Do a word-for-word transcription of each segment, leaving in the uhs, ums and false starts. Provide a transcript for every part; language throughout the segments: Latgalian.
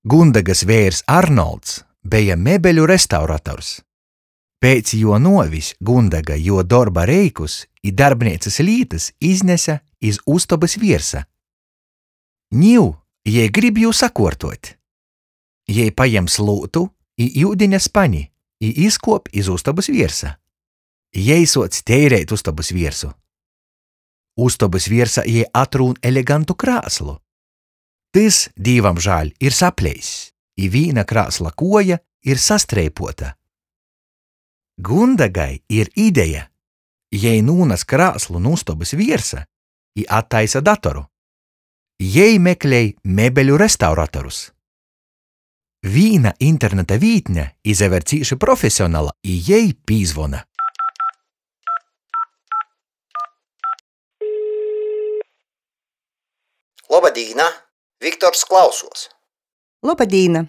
Gundegys veirs Arnolds beja mebeļu restaurators. Piec juo nuovis Gundega juo dorba reikus i darbneicys lītys iznese iz ustobys viersa. Niu jei grib jū sakuortuot. Jei pajem slūtu i iudiņa spani i izkuop iz ustobys viersa. Jei suoc teireit ustobys viersu. Ustobys viersā jei atrūn elegantu krāslu. Tys, dīvamžāļ, ir sapleiss, i vīna krāsla kuoja ir sastreipuota. Gundegai ir ideja. Jei nūnas krāslu nu ustobys viersa i attaisa datoru. Jei meklej mebeļu restauratorus. Vīna interneta vītne izaver cīši profesionala, i jei pīzvona. Loba dīna! Viktors klausuos. Loba dīna!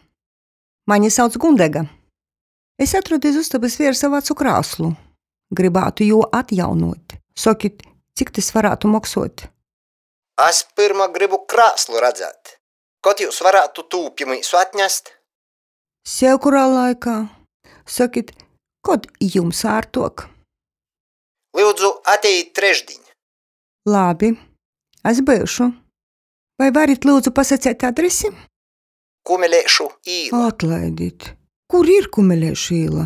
Mani sauc Gundega. Es atrodu iz ustobys viersa vacu krāslu. Grybātu jū atjaunuot. Sokit, cik tys varātu moksuot? Es pyrma grybu krāslu redzēt. Kod jius varātu tū pi myusu atnest? Sevkurā laikā. Sokit, kod jums ārtuok? Lyudzu, atejit trešdiņ. Labi, es byušu. Vai varit lyudzu pasaceit adresi? Kumeleišu īla. Atlaidit. Kur ir Kumeleišu īla?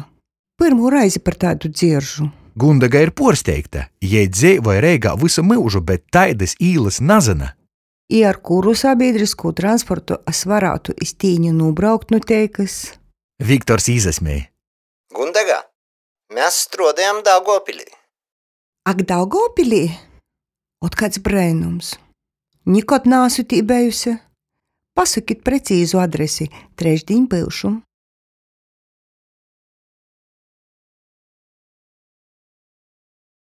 Pyrmū reizi par taidu dzieržu. Gundega ir puorsteigta. Jei dzeivoj Reigā vysu myužu, bet taidys īlys nazyna. I ar kuru sabīdriskū transportu es varātu iz tīni nūbraukt nu Teikys? Viktors īsasmej. Gundega, mes struodojam Daugovpilī. Ak, Daugovpilī? Ot, kāds breinums! Nikod naasu tī bejuse. Pasokit precīzu adresi, trešdiņ byušu.